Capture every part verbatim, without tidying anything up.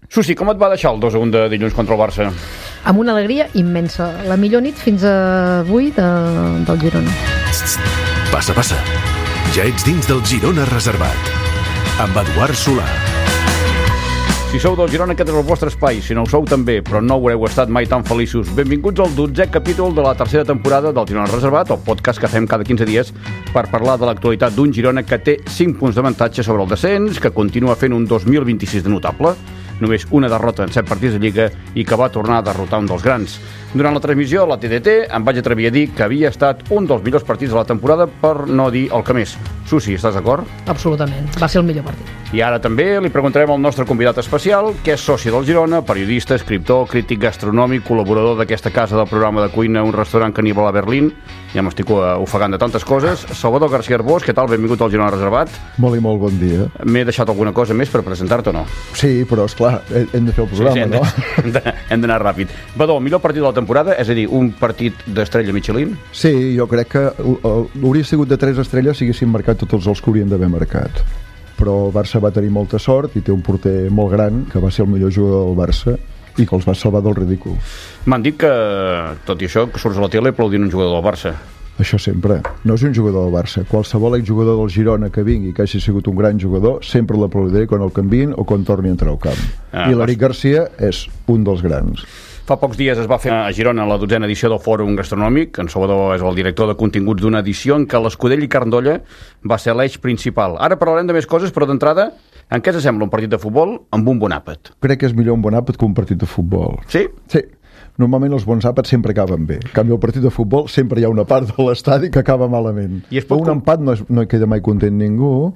Susi, com et va deixar el dos a un de dilluns contra el Barça? Amb una alegria immensa. La millor nit fins avui de, del Girona. Passa, passa. Ja ets dins del Girona Reservat. Amb Eduard Solà. Si sou del Girona, aquest és el vostre espai. Si no ho sou, també, però no haureu estat mai tan feliços. Benvinguts al dotzè capítol de la tercera temporada del Girona Reservat, el podcast que fem cada quinze dies per parlar de l'actualitat d'un Girona que té cinc punts d'avantatge sobre el descens, que continua fent un dos mil vint-i-sis de notable, només una derrota en set partits de Lliga i que va tornar a derrotar un dels grans. Durant la transmissió a la T D T em vaig atrevir a dir que havia estat un dels millors partits de la temporada, per no dir el que més. Susi, estàs d'acord? Absolutament, va ser el millor partit. I ara també li preguntarem al nostre convidat especial, que és soci del Girona, periodista, escriptor, crític gastronòmic, col·laborador d'aquesta casa del programa de cuina Un restaurant caníbal a Berlín. Ja m'estic ofegant de tantes coses. Salvador García Arbós, què tal? Benvingut al Girona Reservat. Molt i molt bon dia. M'he deixat alguna cosa més per presentar-te o no? Sí, però esclar, hem de fer el programa, sí, sí, hem de, no? Hem de, hem d'anar ràpid. Badó, millor partit de la temporada, és a dir, un partit d'estrella Michelin? Sí, jo crec que hauria sigut de tres estrelles si haguessin marcat tots els que haurien d'haver marcat. Però el Barça va tenir molta sort i té un porter molt gran, que va ser el millor jugador del Barça i que els va salvar del ridícul. M'han dit que, tot i això, que surts a la tele aplaudint un jugador del Barça. Això sempre. No és un jugador del Barça. Qualsevol exjugador del Girona que vingui, que hagi sigut un gran jugador, sempre l'aplaudiré quan el canviïn o quan torni a entrar al camp. Ah, I l'Eric Garcia és un dels grans. Fa pocs dies es va fer a Girona la dotzena edició del Fòrum Gastronòmic. En Salvador és el director de continguts d'una edició en què l'Escudell i Carn d'Olla va ser l'eix principal. Ara parlarem de més coses, però d'entrada, en què s'assembla un partit de futbol amb un bon àpat? Crec que és millor un bon àpat que un partit de futbol. Sí? Sí. Normalment els bons àpats sempre acaben bé. En canvi, el partit de futbol sempre hi ha una part de l'estadi que acaba malament. I un com... empat no, és, no hi queda mai content ningú,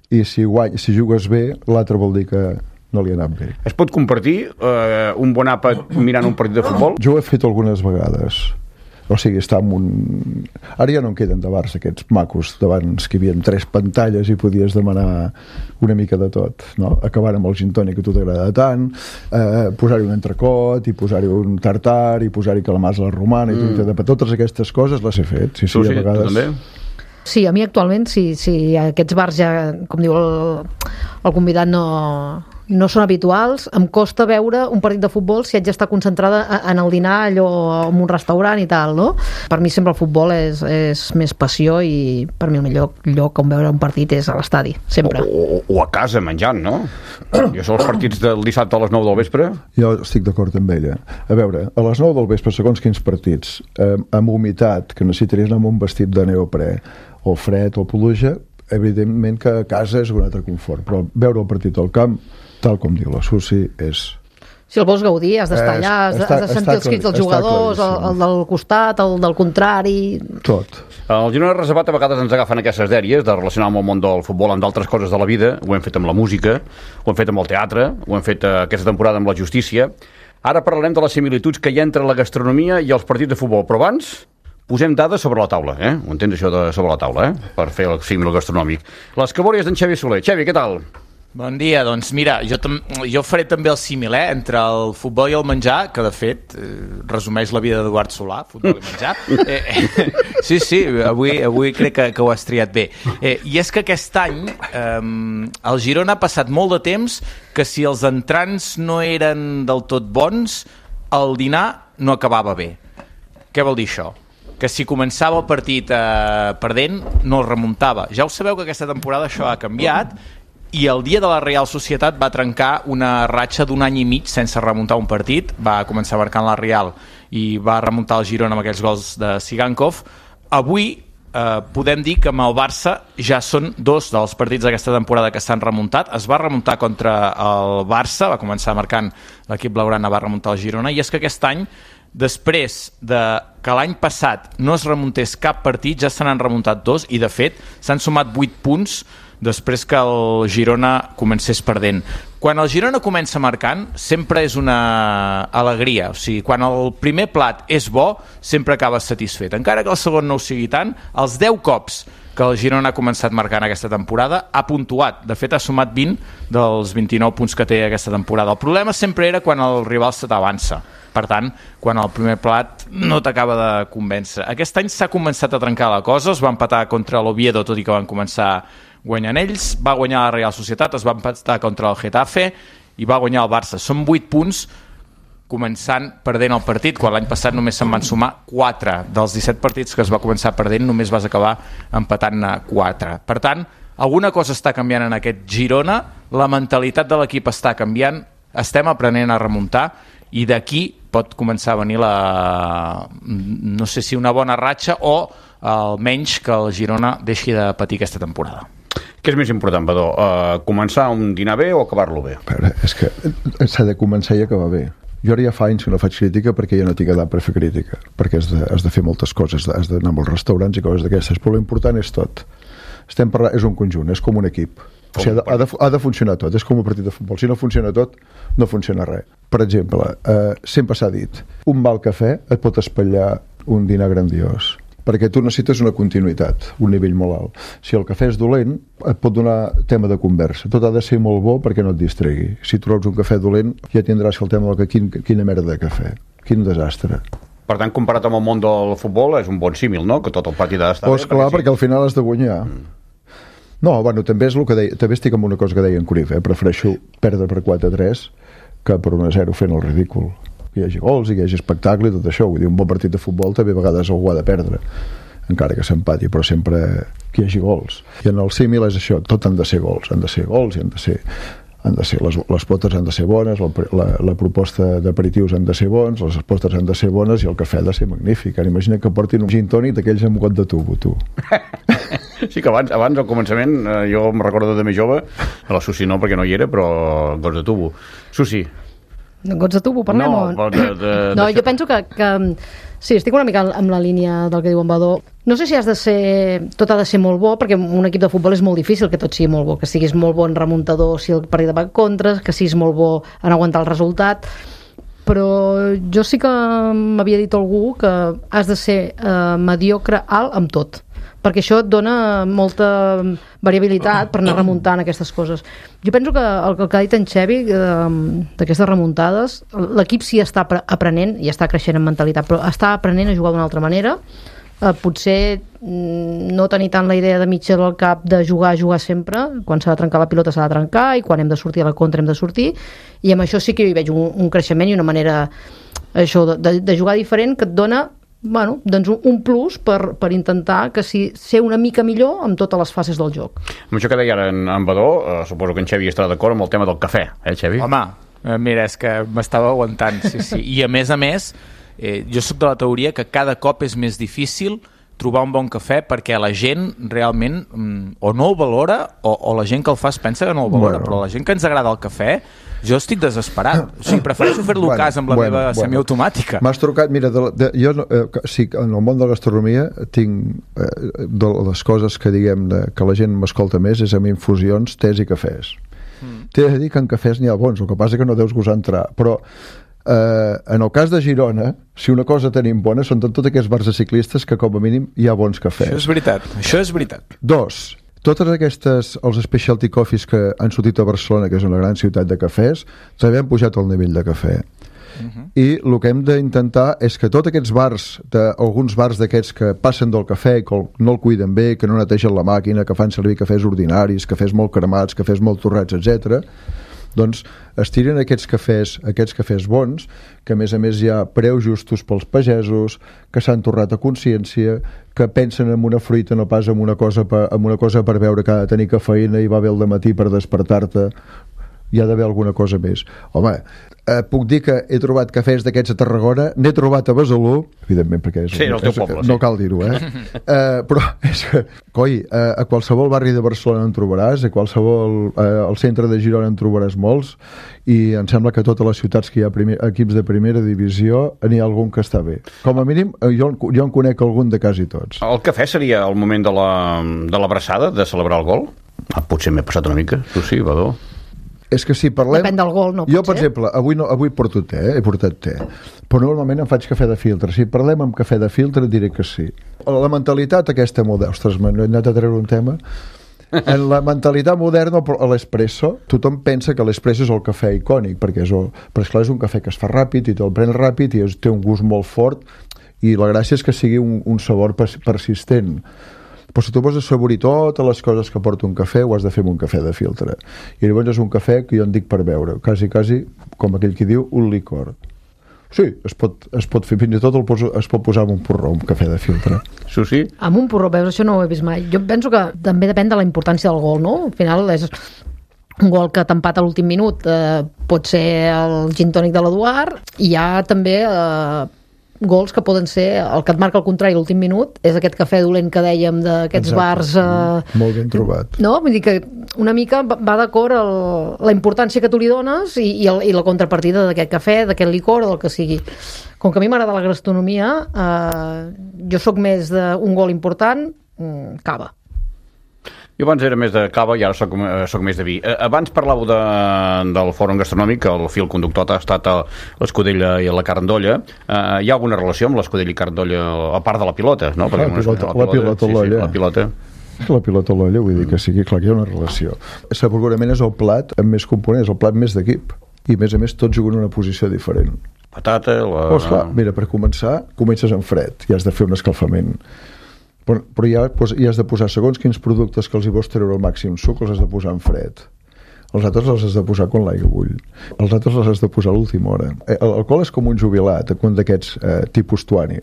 i si, guany, si jugues bé, l'altre vol dir que no li ha anat bé. Es pot compartir eh, un bon àpat mirant un partit de futbol? Jo ho he fet algunes vegades. O sigui, està en un... Ara ja no en queden de bars aquests macos d'abans, que hi havia tres pantalles i podies demanar una mica de tot, no? Acabar amb el gin tònic que a tu t'agrada tant, eh, posar-hi un entrecot i posar-hi un tartar i posar-hi calamars a la romana i mm. tot, totes aquestes coses les he fet. Sí, sí, tu sí, a vegades... tu també? Sí, a mi actualment, si, si aquests bars ja, com diu el, el convidat, no, no són habituals, em costa veure un partit de futbol si haig d'estar concentrada en el dinar, allò en un restaurant i tal, no? Per mi sempre el futbol és, és més passió i per mi el millor lloc on veure un partit és a l'estadi, sempre. O, o, o a casa menjant, no? Jo són els partits del dissabte a les nou del vespre. Jo estic d'acord amb ella. A veure, a les nou del vespre, segons quins partits, eh, amb humitat, que necessitaries anar amb un vestit de neoprè, o fred o pluja, evidentment que a casa és un altre confort, però veure el partit al camp, tal com diu la Susi, és... Si el vols gaudir, has d'estar allà, has, està, has de sentir els crits dels jugadors, el, el del costat, el del contrari... Tot. El Girona Reservat a vegades ens agafen aquestes dèries de relacionar amb el món del futbol amb d'altres coses de la vida. Ho hem fet amb la música, ho hem fet amb el teatre, ho hem fet aquesta temporada amb la justícia. Ara parlarem de les similituds que hi ha entre la gastronomia i els partits de futbol, però abans... posem dades sobre la taula, eh? Ho entens, això de sobre la taula, eh? Per fer el símil gastronòmic. Les cabòries d'en Xavi Soler. Xavi, què tal? Bon dia, doncs mira, jo, jo faré també el símil, eh? Entre el futbol i el menjar, que de fet eh, resumeix la vida d'Eduard Solà, futbol i menjar. Eh, eh, sí, sí, avui, avui crec que, que ho has triat bé. Eh, I és que aquest any eh, el Girona ha passat molt de temps que si els entrants no eren del tot bons, el dinar no acabava bé. Què vol dir això? Que si començava el partit eh, perdent, no el remuntava. Ja ho sabeu que aquesta temporada això ha canviat i el dia de la Real Societat va trencar una ratxa d'un any i mig sense remuntar un partit. Va començar marcant la Real i va remuntar el Girona amb aquells gols de Sigankov. Avui eh, podem dir que amb el Barça ja són dos dels partits d'aquesta temporada que s'han remuntat. Es va remuntar contra el Barça, va començar marcant l'equip blaugrana, va remuntar el Girona, i és que aquest any, després de que l'any passat no es remuntés cap partit, ja se n'han remuntat dos i de fet s'han sumat vuit punts després que el Girona comencés perdent. Quan el Girona comença marcant sempre és una alegria, o sigui, quan el primer plat és bo sempre acabes satisfet, encara que el segon no ho sigui tant. Els deu cops que el Girona ha començat marcant aquesta temporada ha puntuat, de fet ha sumat vint dels vint-i-nou punts que té aquesta temporada. El problema sempre era quan el rival se t'avança. Per tant, quan el primer plat no t'acaba de convèncer. Aquest any s'ha començat a trencar la cosa, es va empatar contra l'Oviedo, tot i que van començar guanyant ells, va guanyar la Real Societat, es va empatar contra el Getafe i va guanyar el Barça. Són vuit punts començant perdent el partit, quan l'any passat només se'n van sumar quatre. Dels disset partits que es va començar perdent, només vas acabar empatant-ne quatre. Per tant, alguna cosa està canviant en aquest Girona, la mentalitat de l'equip està canviant, estem aprenent a remuntar, i d'aquí pot començar a venir la, no sé si una bona ratxa o almenys que el Girona deixi de patir aquesta temporada. Què és més important, Badó? Uh, començar un dinar bé o acabar-lo bé? Però és que s'ha de començar i acabar bé. Jo ara ja fa anys que no faig crítica perquè ja no tinc edat per fer crítica, perquè has de, has de fer moltes coses, has d'anar a molts restaurants i coses d'aquestes, però l'important és tot. Estem parlant, és un conjunt, és com un equip. O sigui, ha de, ha, de, ha de funcionar tot, és com un partit de futbol. Si no funciona tot, no funciona res. Per exemple, eh, sempre s'ha dit, un mal cafè et pot espatllar un dinar grandiós, perquè tu necessites una continuïtat, un nivell molt alt. Si el cafè és dolent, et pot donar tema de conversa. Tot ha de ser molt bo perquè no et distregui. Si trobes un cafè dolent, ja tindràs el tema de quin, quina merda de cafè. Quin desastre. Per tant, comparat amb el món del futbol, és un bon símil, no? Que tot el partit ha d'estar bé. Pues clar, perquè, sí. perquè al final has de guanyar. Mm. No, bueno, també és el que deia, també estic amb una cosa que deia en Cruyff, eh? Prefereixo perdre per quatre a tres que per un a zero fent el ridícul. Que hi hagi gols i que hi hagi espectacle i tot això. Vull dir, un bon partit de futbol també a vegades algú ha de perdre, encara que s'empati, però sempre que hi hagi gols. I en el símil és això, tot han de ser gols, han de ser gols i han de ser, han de ser les, les potes han de ser bones, la, la, la proposta d'aperitius han de ser bons, les potes han de ser bones i el cafè ha de ser magnífic. Ara imagina que portin un gin tònic d'aquells amb got de tubo, tu. Sí que abans, abans al començament, eh, jo em recordo de més jove, a la Susi no, perquè no hi era, però gots de tubo. Susi. Gots de tubo, parlem? No, de, de, no de... jo penso que, que... Sí, estic una mica amb la línia del que diu en Badó. No sé si has de ser... Tot ha de ser molt bo, perquè un equip de futbol és molt difícil que tot sigui molt bo, que siguis molt bon remuntador si el partit va en contra, que siguis molt bo en aguantar el resultat, però jo sí que m'havia dit algú que has de ser eh, mediocre alt amb tot, perquè això et dona molta variabilitat per anar remuntant aquestes coses. Jo penso que el que ha dit en Xevi d'aquestes remuntades, l'equip sí està aprenent i està creixent en mentalitat, però està aprenent a jugar d'una altra manera. Eh, potser no tenir tant la idea de mitja del cap de jugar, jugar sempre. Quan s'ha de trencar la pilota s'ha de trencar i quan hem de sortir a la contra hem de sortir, i amb això sí que jo hi veig un, un creixement i una manera això de, de, de jugar diferent que et dona, bueno, doncs un plus per, per intentar que si, ser una mica millor amb totes les fases del joc. Amb això que deia ara en, en Badó, eh, suposo que en Xevi estarà d'acord amb el tema del cafè, eh, Xevi? Home, eh, mira, és que m'estava aguantant, sí, sí. I a més a més, eh, jo soc de la teoria que cada cop és més difícil trobar un bon cafè perquè la gent realment mm, o no el valora o, o la gent que el fa es pensa que no el valora, bueno. Però la gent que ens agrada el cafè, jo estic desesperat. O sigui, prefereixo fer-lo bueno, cas amb la bueno, meva bueno. semiautomàtica. M'has trucat, mira, de, de, jo eh, sí, en el món de la gastronomia tinc eh, de les coses que diguem de, que la gent m'escolta més és amb infusions, tés i cafès. Mm. T'he de dir que en cafès n'hi ha bons, el que passa que no deus gosar entrar, però Uh, en el cas de Girona, si una cosa tenim bona són tots aquests bars de ciclistes que com a mínim hi ha bons cafès. Això és veritat, això és veritat. Dos, totes aquestes, els specialty coffees que han sortit a Barcelona, que és una gran ciutat de cafès, també han pujat el nivell de cafè. Uh-huh. I el que hem d'intentar és que tots aquests bars, de, alguns bars d'aquests que passen del cafè i que no el cuiden bé, que no netegen la màquina, que fan servir cafès ordinaris, cafès molt cremats, cafès molt torrats, etcètera, doncs es tiren aquests cafès, aquests cafès bons, que a més a més hi ha preus justos pels pagesos, que s'han torrat a consciència, que pensen en una fruita no pas en una cosa per, en una cosa per veure que ha de tenir cafeïna i va bé al dematí per despertar-te. Hi ha d'haver alguna cosa més. Home, eh, puc dir que he trobat cafès d'aquests a Tarragona, n'he trobat a Besalú, evidentment perquè és, sí, el teu poble, no sí. Cal dir-ho, eh? eh? Però és que, coi, eh, a qualsevol barri de Barcelona en trobaràs, a qualsevol eh, al centre de Girona en trobaràs molts, i em sembla que a totes les ciutats que hi ha primer, equips de primera divisió n'hi ha algun que està bé. Com a mínim, jo, jo en conec algun de quasi tots. El cafè seria el moment de la, de l'abraçada, de celebrar el gol? Ah, potser m'he passat una mica, tu sí, Badó. És que si parlem... Depèn del gol, no jo, per exemple, avui, no, avui porto te, eh? he portat te, però normalment em faig cafè de filtre. Si parlem amb cafè de filtre, diré que sí. La mentalitat aquesta moderna... Ostres, m'he anat a treure un tema. En la mentalitat moderna, a l'espresso, tothom pensa que l'espresso és el cafè icònic, perquè és, el, però esclar, és un cafè que es fa ràpid i te'l pren ràpid i té un gust molt fort i la gràcia és que sigui un, un sabor persistent. Però si tu vols assaborir totes les coses que porta un cafè, ho has de fer amb un cafè de filtre. I llavors és un cafè que jo en dic per beure, quasi, quasi, com aquell qui diu, un licor. Sí, es pot, es pot fer, fins i tot el poso, es pot posar amb un porró, un cafè de filtre. Sí, sí. Amb un porró, veus, això no ho he vist mai. Jo penso que també depèn de la importància del gol, no? Al final és un gol que t'empata a l'últim minut, eh, pot ser el gin tònic de l'Eduard, i hi ha també eh, gols que poden ser, el que et marca el contrari a l'últim minut, és aquest cafè dolent que dèiem d'aquests bars... Eh, molt ben trobat. No? Vull dir que una mica va d'acord el, la importància que tu li dones i, i, el, i la contrapartida d'aquest cafè, d'aquest licor o del que sigui. Com que a mi m'agrada la gastronomia, eh, jo sóc més d'un gol important, mm, cava. Jo abans era més de cava i ara soc, soc més de vi. Abans parlàveu de, del fòrum gastronòmic, el fil conductor ha estat a l'Escudella i a la Carn d'Olla. Uh, hi ha alguna relació amb l'Escudella i Carn d'Olla, a part de la pilota, no? Ah, la, pilota, la, pilota, la pilota a l'olla. Sí, sí, la pilota. La pilota a l'olla, vull dir que sigui clar que hi ha una relació. Segurament és el plat amb més components, el plat més d'equip. I a més a més tots juguen en una posició diferent. Patata, la... Pues clar, mira, per començar, comences en fred i has de fer un escalfament. Però, però ja, pues, ja has de posar segons quins productes que els hi vols treure al màxim suc, els has de posar en fred. Els altres els has de posar quan l'aigua bull. Els altres els has de posar a l'última hora. L'alcohol és com un jubilat, un d'aquests eh, tipus tuani.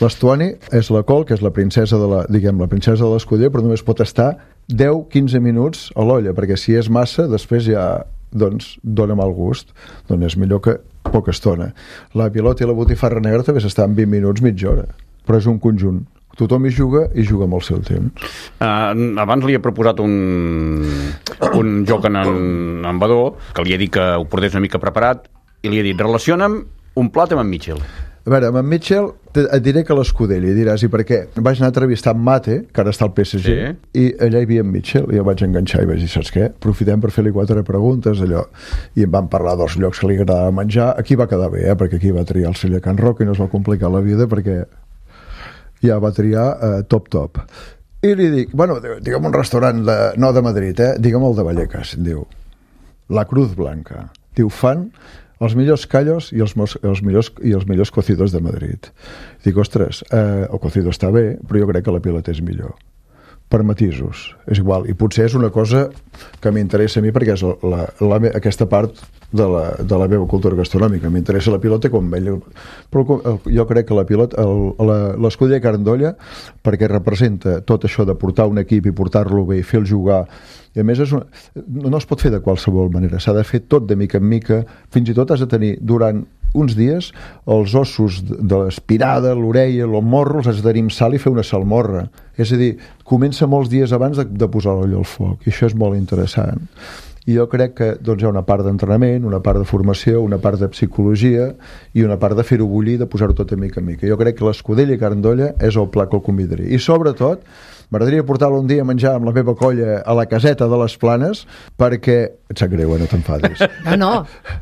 L'estuani és la col, que és la princesa de la, diguem, la princesa de l'escudella, però només pot estar deu a quinze minuts a l'olla, perquè si és massa, després ja doncs, dona mal gust. Doncs és millor que poca estona. La pilota i la botifarra negra també s'estan vint minuts, mitja hora. Però és un conjunt. Tothom hi juga i juga amb el seu temps. Uh, abans li he proposat un, un joc en, en Badó, que li he dit que ho portés una mica preparat, i li he dit, relaciona'm un plat amb en Mitchell. A veure, amb en Mitchell et diré que l'Escudella, i diràs, i per què? Vaig anar a entrevistar en Mate, que ara està al P S G, sí. I allà hi havia en Mitchell, i jo vaig enganxar i vaig dir, saps què? Aprofitem per fer-li quatre preguntes, allò, i em van parlar dels llocs que li agradava menjar. Aquí va quedar bé, eh? Perquè aquí va triar el celler Can Roca i no es va complicar la vida, perquè ja va triar eh, top top. I li dic, bueno, digue'm un restaurant de, no de Madrid, eh? Digue'm el de Vallecas, diu La Cruz Blanca. Diu, fan els millors callos i els, els, millors, i els millors cocidos de Madrid. Dic, ostres, eh, el cocido està bé, però jo crec que la pilota és millor. Per matisos, és igual, i potser és una cosa que m'interessa a mi perquè és la, la, aquesta part de la, de la meva cultura gastronòmica. M'interessa la pilota com ell, però jo crec que la pilota, l'Escudella i Carn d'Olla, perquè representa tot això de portar un equip i portar-lo bé i fer-lo jugar, i a més és una, no es pot fer de qualsevol manera, s'ha de fer tot de mica en mica, fins i tot has de tenir durant uns dies els ossos de l'espirada, l'orella, el morro, els has de tenir amb sal i fer una salmorra. És a dir, comença molts dies abans de, de posar l'olla al foc, i això és molt interessant. I jo crec que doncs, hi ha una part d'entrenament, una part de formació, una part de psicologia i una part de fer-ho bullir, de posar-ho tot a mica en mica. Jo crec que l'Escudella i Carn d'Olla és el plat que el convidaria. I sobretot, m'agradaria portar-lo un dia a menjar amb la meva colla a la caseta de les Planes, perquè... Et sap greu, eh? No t'enfadis. No, no.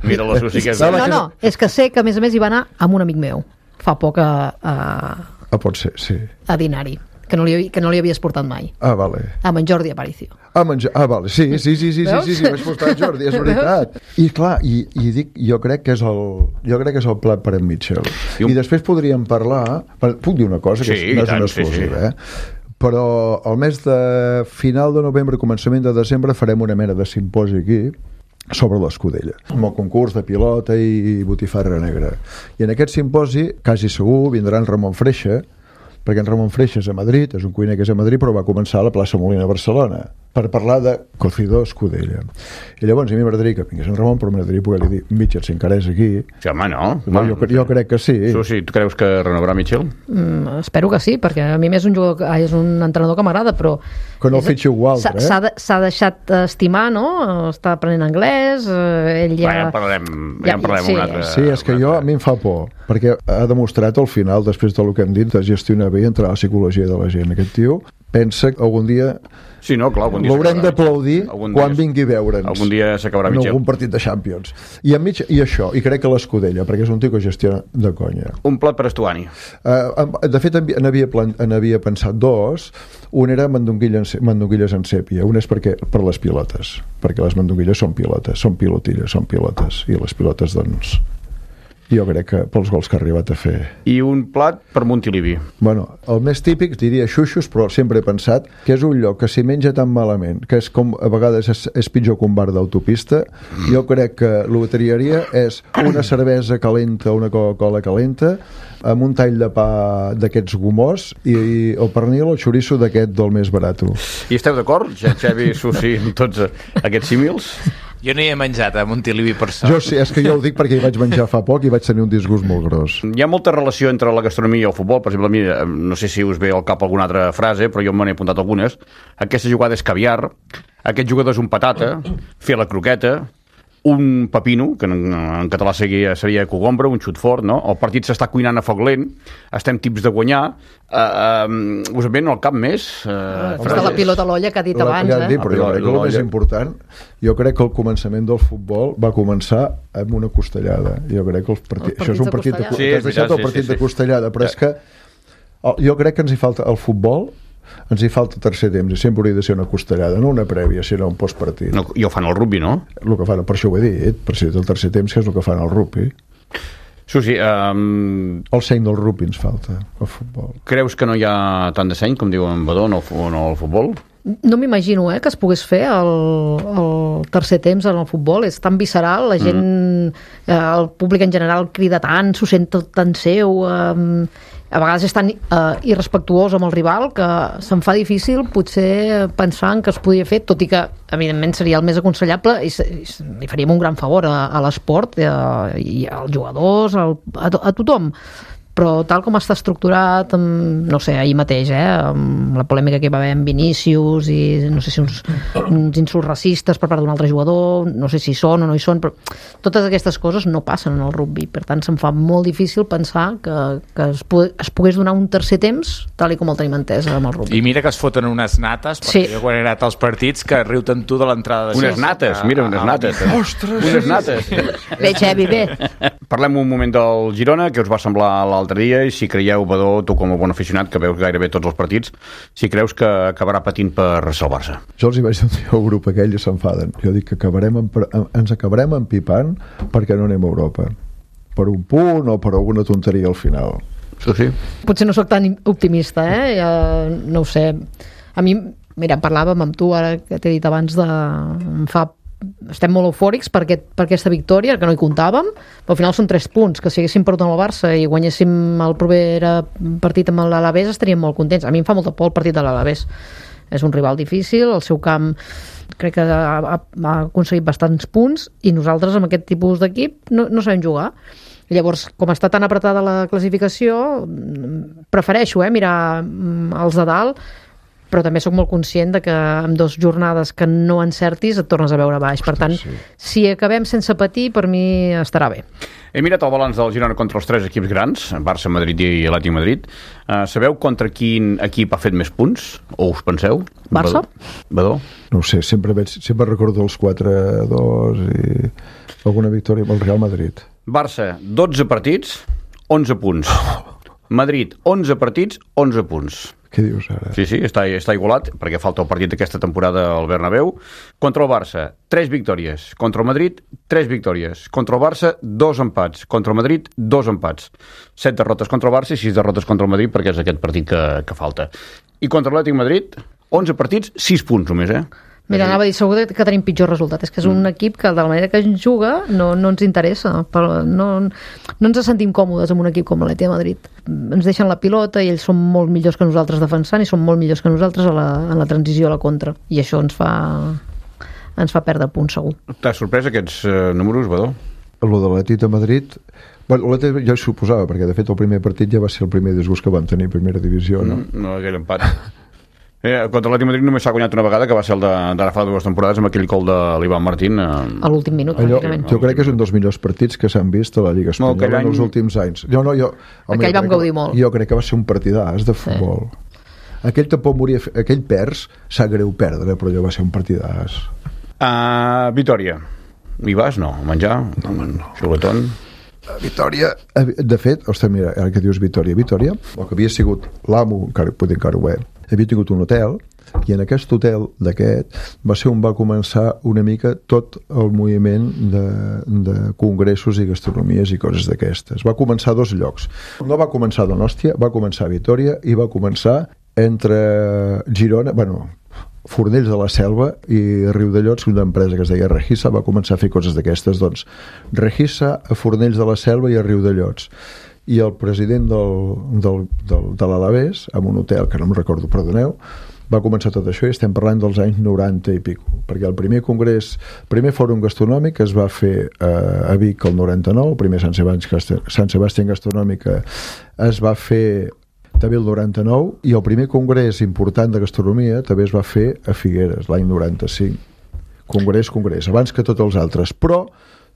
Mira la Susi que és... No, no, és que sé que a més a més hi va anar amb un amic meu. Fa poc a... a... Ah, pot ser, sí. A dinar-hi. Que no, li, que no li havies portat mai. Ah, vale. Amb en Jordi Aparicio. Ah, menjar... ah vale, sí, sí, sí, sí, sí, sí, sí, vaig portar en Jordi, és veritat. I clar, i, i dic, jo crec que és el, jo crec que és el plat per en Mitchell. I, un... I després podríem parlar... Puc dir una cosa, que sí, no és una exclusiva, sí, sí. eh? Però al mes de final de novembre, començament de desembre, farem una mena de simposi aquí sobre l'Escudella, amb el concurs de pilota i botifarra negra. I en aquest simposi, quasi segur, vindrà en Ramon Freixa, perquè en Ramon Freixa és a Madrid, és un cuiner que és a Madrid, però va començar a la plaça Molina a Barcelona, per parlar de cocido Escudella. I llavors a mi m'agradaria que vingués en Ramon, però m'agradaria poder-li dir, Mitchell, si encara és aquí... Sí, home, no. no jo, jo crec que sí. Susi, tu creus que renovarà Mitchell? Mm, espero que sí, perquè a mi és un, jugador, és un entrenador que m'agrada, però... Que no el fitxi algú altre, eh? S'ha de, deixat estimar, no? Està aprenent anglès, ell ja... Va, ja en parlarem, ja, ja en parlarem sí. un altre... Sí, és que jo, a mi em fa por, perquè ha demostrat al final, després del que hem dit, de gestionar bé i entrar a la psicologia de la gent. Aquest tio pensa que algun dia... Sí, no, clar, algun dia l'haurem d'aplaudir quan vingui a veure'ns. Algun dia s'acabarà en Mitchell. algun partit de Champions. I, mig, I això, i crec que l'Escudella, perquè és un tio que gestiona de conya. Un plat per Estuani. Uh, de fet, n'havia havia pensat dos. Un era mandonguilles, mandonguilles en sèpia. Un és perquè, per les pilotes, perquè les mandonguilles són pilotes, són pilotilles, són pilotes, i les pilotes, doncs... Jo crec que pels gols que ha arribat a fer. I un plat per Montilivi. Bueno, el més típic diria xuxos, però sempre he pensat que és un lloc que s'hi menja tan malament, que és com a vegades és, és pitjor que un bar d'autopista. Jo crec que el que triaria és una cervesa calenta, una Coca-Cola calenta, amb un tall de pa d'aquests gomós i, i el pernil o el xoriço d'aquest del més barat. I esteu d'acord, Xavi, Susi, amb tots aquests símils? Jo no hi he menjat a Montilivi per sort. Jo sí, és que jo ho dic perquè hi vaig menjar fa poc i vaig tenir un disgust molt gros. Hi ha molta relació entre la gastronomia i el futbol. Per exemple, a mi, no sé si us ve al cap alguna altra frase, però jo me n'he apuntat algunes. Aquesta jugada és caviar, aquest jugador és un patata, fer la croqueta, un pepino, que en, en català seria, seria cogombre, un xut fort, no? El partit s'està cuinant a foc lent, estem tips de guanyar, uh, uh, us en ven al cap més? Uh, Està la pilota a l'olla que ha dit la, abans, ja eh? Dit, però jo crec que el més important, jo crec que el començament del futbol va començar amb una costellada. Jo crec que els partits, els això és un partit de, sí, t'has deixat el sí, partit sí, sí. de costellada, però és que jo crec que ens hi falta el futbol, ens hi falta tercer temps i sempre hauria de ser una costellada, no una prèvia, sinó un postpartit. No, i ho fan al rugby, no? El que fan, per això ho he dit, per si el tercer temps, que és el que fan al rugby. Susi, um, el seny del rugby ens falta, el futbol. Creus que no hi ha tant de seny, com diu en Badó, en el, en el futbol? No m'imagino eh, que es pogués fer el, el tercer temps en el futbol. És tan visceral, la gent, mm. eh, el públic en general crida tant, s'ho sent tot tan seu, eh, a vegades és tan eh, irrespectuós amb el rival que se'm fa difícil potser pensar en que es podia fer, tot i que evidentment seria el més aconsellable i, i li faríem un gran favor a, a l'esport eh, i als jugadors, al, a, a tothom. Però tal com està estructurat, amb, no sé, ahir mateix, eh, amb la polèmica que hi va haver amb Vinícius i no sé si uns, uns insults racistes per part d'un altre jugador, no sé si hi són o no hi són, però totes aquestes coses no passen en el rugby. Per tant, se'm fa molt difícil pensar que, que es, pogués, es pogués donar un tercer temps tal i com el tenim entès amb el rugby. I mira que es foten unes nates, perquè sí. Jo quan he anat als partits que riuten tu de l'entrada de unes nates, a, mira, unes nates. Eh? Ostres! Unes nates. Bé, Xavi, bé. Parlem un moment del Girona, que us va semblar l'altre dia, i si creieu, Badó, tu com a bon aficionat, que veus gairebé tots els partits, si creus que acabarà patint per salvar-se. Jo els hi vaig dir al grup aquell i s'enfaden. Jo dic que acabarem en, ens acabarem empipant perquè no anem a Europa. Per un punt o per alguna tonteria al final. Sí, sí. Potser no sóc tan optimista, eh? Ja, no ho sé. A mi, mira, parlàvem amb tu, ara que t'he dit abans, de... em fa estem molt eufòrics per, aquest, per aquesta victòria, que no hi comptàvem, però al final són tres punts, que si haguéssim perdut amb el Barça i guanyéssim el proper partit amb l'Alavés estaríem molt contents. A mi em fa molta por el partit de l'Alavés. És un rival difícil, el seu camp crec que ha, ha, ha aconseguit bastants punts i nosaltres amb aquest tipus d'equip no, no sabem jugar. Llavors, com està tan apretada la classificació, prefereixo eh, mirar els de dalt, però també sóc molt conscient de que amb dues jornades que no encertis et tornes a veure baix. Per tant, sí. Si acabem sense patir, per mi estarà bé. He mirat el balanç del Girona contra els tres equips grans, Barça, Madrid i Atlètic Madrid. Uh, sabeu contra quin equip ha fet més punts? O us penseu? Barça? Badó? No ho sé, sempre, veig, sempre recordo els quatre a dos i alguna victòria amb el Real Madrid. Barça, dotze partits, onze punts. Madrid, onze partits, onze punts. Què dius ara? Sí, sí, està, està igualat, perquè falta el partit d'aquesta temporada al Bernabéu. Contra el Barça, tres victòries. Contra el Madrid, tres victòries. Contra el Barça, dos empats. Contra el Madrid, dos empats. Set derrotes contra el Barça i sis derrotes contra el Madrid, perquè és aquest partit que, que falta. I contra l'Atlètic Madrid, onze partits, sis punts només, eh? Mira, anava a dir, segur que tenim pitjor resultat. És que és un mm. equip que, de la manera que ens juga, no, no ens interessa. Però no, no ens sentim còmodes amb un equip com l'Atlètic de Madrid. Ens deixen la pilota i ells són molt millors que nosaltres defensant i són molt millors que nosaltres a la, en la transició a la contra. I això ens fa, ens fa perdre punts, segur. T'ha sorprès aquests uh, números, Badó? Lo de l'Atlètic de Madrid... Bueno, l'Atlètic ja ho suposava, perquè de fet el primer partit ja va ser el primer disgust que vam tenir a primera divisió, no? Mm, no, aquell empat. Eh, contra l'Atlètic Madrid només s'ha guanyat una vegada, que va ser el d'ara fa dues temporades amb aquell gol de l'Ivan Martín. Eh... A l'últim minut, allò, pràcticament. Jo crec que és un dels millors partits que s'han vist a la Lliga Espanyola no, any... en els últims anys. Jo, no, jo, home, aquell vam gaudir que, molt. Jo crec que va ser un partidàs de futbol. Sí. Aquell tampoc moria... Aquell perds, s'ha greu perdre, però allò va ser un partidàs. Uh, Vitòria. Hi vas, no? A menjar? No, no. Xuletón? Vitòria, de fet, ostres, mira, ara que dius Vitòria, Vitòria, el que havia sigut l'amo, encara, potser encara ho és, havia tingut un hotel I en aquest hotel d'aquest va ser on va començar una mica tot el moviment de, de congressos i gastronomies i coses d'aquestes. Va començar a dos llocs. No va començar a Donòstia, va començar a Vitòria i va començar entre Girona, bueno, Fornells de la Selva i Riudellots, una empresa que es deia Regisa, va començar a fer coses d'aquestes. Doncs Regisa a Fornells de la Selva i a Riudellots. I el president del, del, del, de l'Alavés, en un hotel que no em recordo, perdoneu, va començar tot això i estem parlant dels anys noranta i pico, perquè el primer congrés, el primer fòrum gastronòmic es va fer eh, a Vic el noranta-nou, el primer Sant Sebastián, Sant Sebastián Gastronòmic es va fer també el noranta-nou, i el primer congrés important de gastronomia també es va fer a Figueres l'any noranta-cinc. Congrés, congrés, abans que tots els altres, però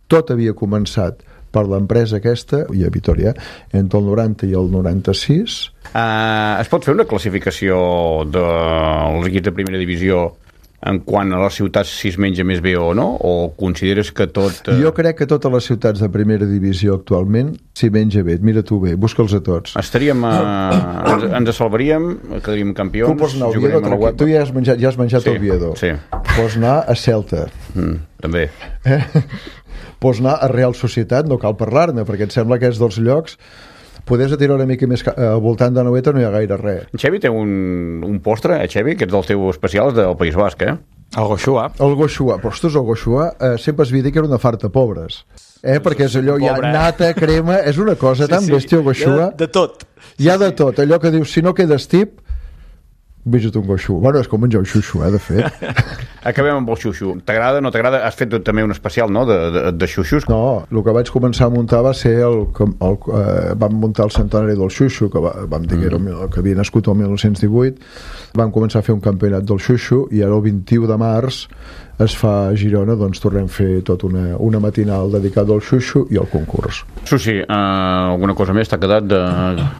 tot havia començat per l'empresa aquesta, i a Vitòria, entre el noranta i el noranta-sis. Uh, es pot fer una classificació dels equips de primera divisió en quant a les ciutats si es menja més bé o no? O consideres que tot... Uh... Jo crec que totes les ciutats de primera divisió actualment s'hi menja bé. Mira tu bé, busca'ls a tots. Estaríem... Uh... ens, ens salvaríem, quedaríem campions... Tu pots anar a Oviedo, a tu ja has menjat, ja has menjat sí, a Oviedo. Sí. Pots anar a Celta. Mm, també. Eh? Pots anar a Real Societat, no cal parlar-ne, perquè em sembla que és dels llocs... Podés tirar una mica més al voltant de Noeta, no hi ha gaire res. Xevi té un, un postre, eh, Xevi, que és dels teus especials del País Basc, eh? El goxuà. El goxuà, però ostres, el goxuà eh, sempre es havia dit que era una farta pobres. Eh, perquè és allò, hi ha nata, crema, és una cosa tan sí, sí. bèstia el goxuà. De, de tot. Hi ha de tot, allò que dius, si no quedes tip, vés-te un goxú. Bueno, és com menjar un xuxu, eh, de fet. Acabem amb el xuxu. T'agrada, no t'agrada? Has fet també un especial, no?, de, de, de xuxus. No, el que vaig començar a muntar va ser el, el, el eh, vam muntar el centenari del xuxu, que va, vam dir que, era el, que havia nascut el mil nou-cents divuit. Vam començar a fer un campionat del xuxu i ara el vint-i-u de març es fa a Girona, doncs tornem a fer tota una, una matinal dedicada al xuxu i al concurs. Susi, uh, alguna cosa més t'ha quedat de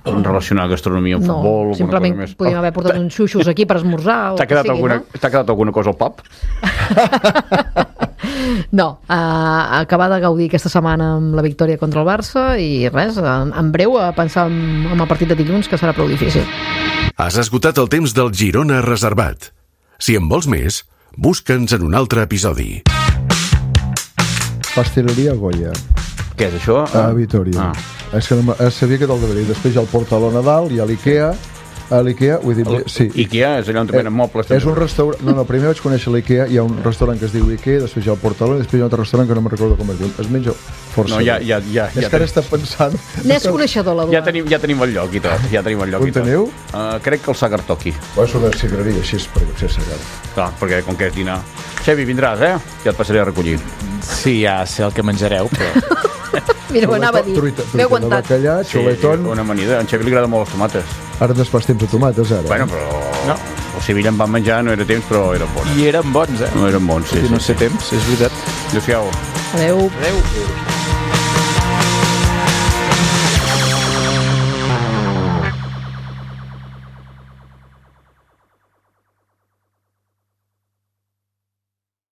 relacionar gastronomia amb no, futbol? No, simplement podríem haver portat uns xuxus aquí per esmorzar. T'ha quedat, sigui, alguna, no? quedat alguna cosa al pub? No, uh, acabar de gaudir aquesta setmana amb la victòria contra el Barça i res, en, en breu a pensar en, en el partit de dilluns, que serà prou difícil. Has esgotat el temps del Girona Reservat. Si en vols més, busca'ns en un altre episodi. Pasteleria Goya. Què és això? A Vitòria. Ah. És que no, sabia que te'l deveria. Després hi ha el Portal a Nadal, hi ha l'Ikea. A l'Ikea, vull dir... El, sí. Ikea és allà on venen mobles. És un restaurant... No, no, primer vaig conèixer l'Ikea, hi ha un restaurant que es diu Ikea, després hi ha el Portalón, i després hi ha un altre restaurant que no me'n recordo com es diu. Es menja força. No, ja, ja, ja, és ja que ara està pensant... N'és coneixedor, l'Eduard. Ja tenim, ja tenim el lloc i tot. Ja tenim el lloc on i tot. teniu? Uh, crec que el Sagartoki. Va, és una cigarreria així, perquè ser Sagar. Clar, perquè com que és dinar... Xevi, vindràs, eh? Ja et passaré a recollir. Sí, ja sé el que menjareu, però... Mira, ho anava a dir. Truita, truita de bacallà, xuletón... Sí, una amanida. A en Xevi li agrada molt les tomates. Ara no es pas temps de tomates, ara. Bueno, però... No. El Sevilla en van menjar, no era temps, però eren bons. I eren bons, eh? No eren bons, sí. I no sí, sé sí. temps, és veritat. Adéu-siau. Adéu. Adéu.